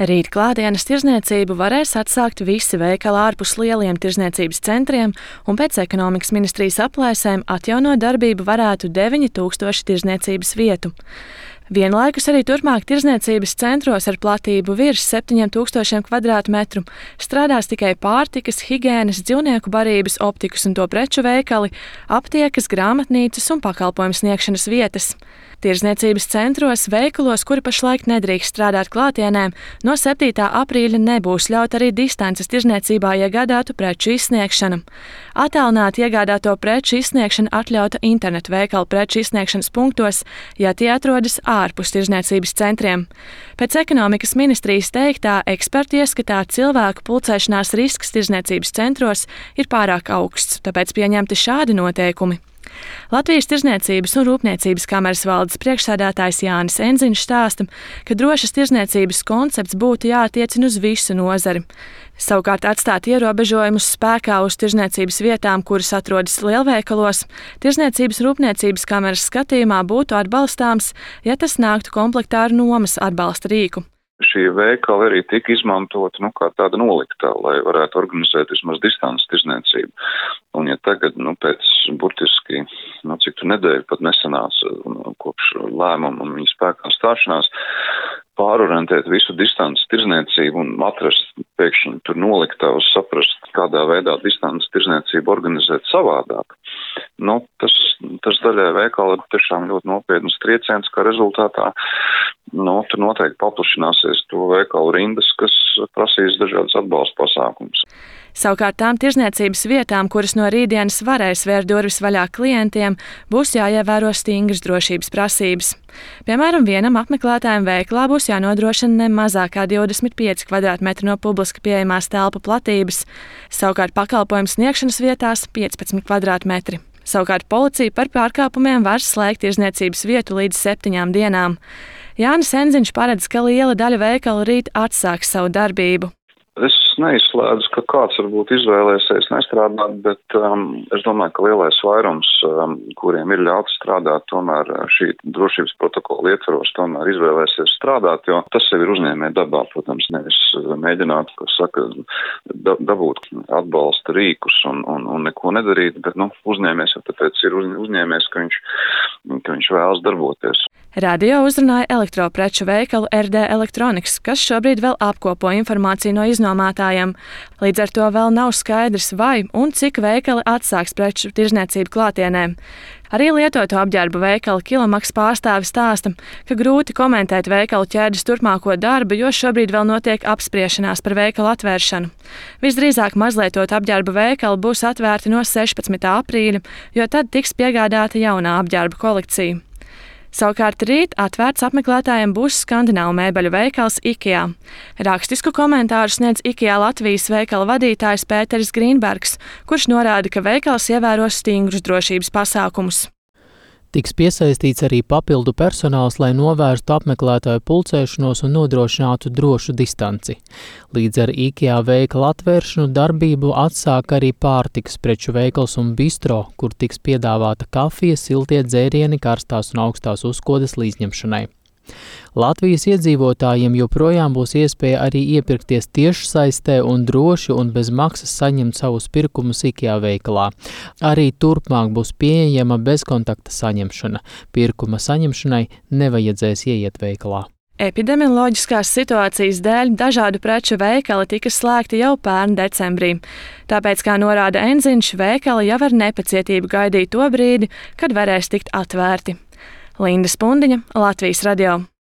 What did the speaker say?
Rīt klātienes tirdzniecību varēs atsākt visi veikali ārpus lieliem tirdzniecības centriem, un pēc ekonomikas ministrijas aplēsēm atjaunot darbību varētu 9000 tirdzniecības vietu. Vienlaikus arī turpmāk tirdzniecības centros ar platību virs 7000 kvadrātmetru strādās tikai pārtikas, higienas, dzīvnieku barības, optikas un to preču veikali, aptiekas, grāmatnīcas un pakalpojumu sniegšanas vietas. Tirdzniecības centros, veikalos, kuri pašlaik nedrīkst strādāt klātienē, no 7. aprīļa nebūs ļaut arī distances tirdzniecībā iegādātu preču izsniegšana. Attālināti iegādāto preču izsniegšana atļauta internetu veikalu preču izsniegšanas punktos, ja tie atrodas ārpus tirdzniecības centriem. Pēc ekonomikas ministrijas teiktā, eksperti ieskatā cilvēku pulcēšanās risks tirdzniecības centros ir pārāk augsts, tāpēc pieņemti šādi noteikumi. Latvijas Tirdzniecības un Rūpniecības kameras valdes priekšsēdētājs Jānis Enziņš stāsta, ka drošas tirdzniecības koncepts būtu jāattiecina uz visu nozari. Savukārt atstāt ierobežojumus spēkā uz tirdzniecības vietām, kuras atrodas lielveikalos, Tirdzniecības Rūpniecības kameras skatījumā būtu atbalstāms, ja tas nāktu komplektā ar nomas atbalsta rīku. Šie veikali arī tika izmantoti kā tāda noliktā, lai varētu organizēt vismaz distances tirdzniecību. Un ja tagad, pēc burtiski, cik tu nedēļu pat nesenās kopš lēmuma un viņa spēkā stāšanās, pārorientēt visu distances tirdzniecību un atrast pēkšņi tur noliktavas, saprast, kādā veidā distances tirdzniecību organizēt savādāk. Tas daļai veikala ir tiešām ļoti nopietnas trieciens, kā rezultātā tur noteikti paplašināsies to veikalu rindas, kas prasīs dažādas atbalsta pasākumus. Savukārt tām tirdzniecības vietām, kuras no rītdienas varēs vērt durvis vaļā klientiem, būs jāievēro stingras drošības prasības. Piemēram, vienam apmeklētājam veikalā būs jānodrošina ne mazāk kā 25 kvadrātmetri no publiski pieejamās telpu platības, savukārt pakalpojumu sniegšanas vietās 15 kvadrātmetri. Savukārt policija par pārkāpumiem var slēgt tirdzniecības vietu līdz 7 dienām. Jānis Enziņš paredz, ka liela daļa veikalu rīt atsāks savu darbību. Es neizslēdzu, ka kāds varbūt izvēlēsies nestrādāt, bet es domāju, ka lielais vairums, kuriem ir ļauts strādāt, tomēr šī drošības protokola ietvaros tomēr izvēlēsies strādāt, jo tas jau ir uzņēmēja dabā, protams, nevis mēģināt, dabūt atbalsta rīkus un neko nedarīt, bet uzņēmējs jau tāpēc ir uzņēmējs, ka viņš vēlas darboties. Radio uzrunāja elektropreču veikalu RD Electronics, kas šobrīd vēl apkopo informāciju no iznomātājiem. Līdz ar to vēl nav skaidrs, vai un cik veikali atsāks preču tirdzniecību klātienē. Arī lietoto apģērbu veikala Kilomaks pārstāvis stāsta, ka grūti komentēt veikalu ķēdes turpmāko darbu, jo šobrīd vēl notiek apspriešanās par veikalu atvēršanu. Visdrīzāk mazlietotu apģērbu veikali būs atvērti no 16. aprīļa, jo tad tiks piegādāta jaunā apģērbu kolekcija. Savukārt rīt atvērts apmeklētājiem būs skandināvu mēbeļu veikals IKEA. Rakstisku komentāru sniedz IKEA Latvijas veikala vadītājs Pēteris Grīnbergs, kurš norāda, ka veikals ievēros stingrus drošības pasākumus. Tiks piesaistīts arī papildu personāls, lai novērstu apmeklētāju pulcēšanos un nodrošinātu drošu distanci. Līdz ar IKEA veikala atvēršanu darbību atsāk arī pārtikas preču veikals un bistro, kur tiks piedāvāta kafija, siltie dzērieni, karstās un augstās uzkodas līdzņemšanai. Latvijas iedzīvotājiem joprojām būs iespēja arī iepirkties tiešsaistē un droši un bez maksas saņemt savus pirkumus IKEA veikalā. Arī turpmāk būs pieejama bezkontakta saņemšana. Pirkuma saņemšanai nevajadzēs ieiet veikalā. Epidemioloģiskās situācijas dēļ dažādu preču veikali tika slēgti jau pērn decembrī. Tāpēc, kā norāda Enziņš, veikali jau ar nepacietību gaidīja to brīdi, kad varēs tikt atvērti. Linda Spundiņa, Latvijas radio.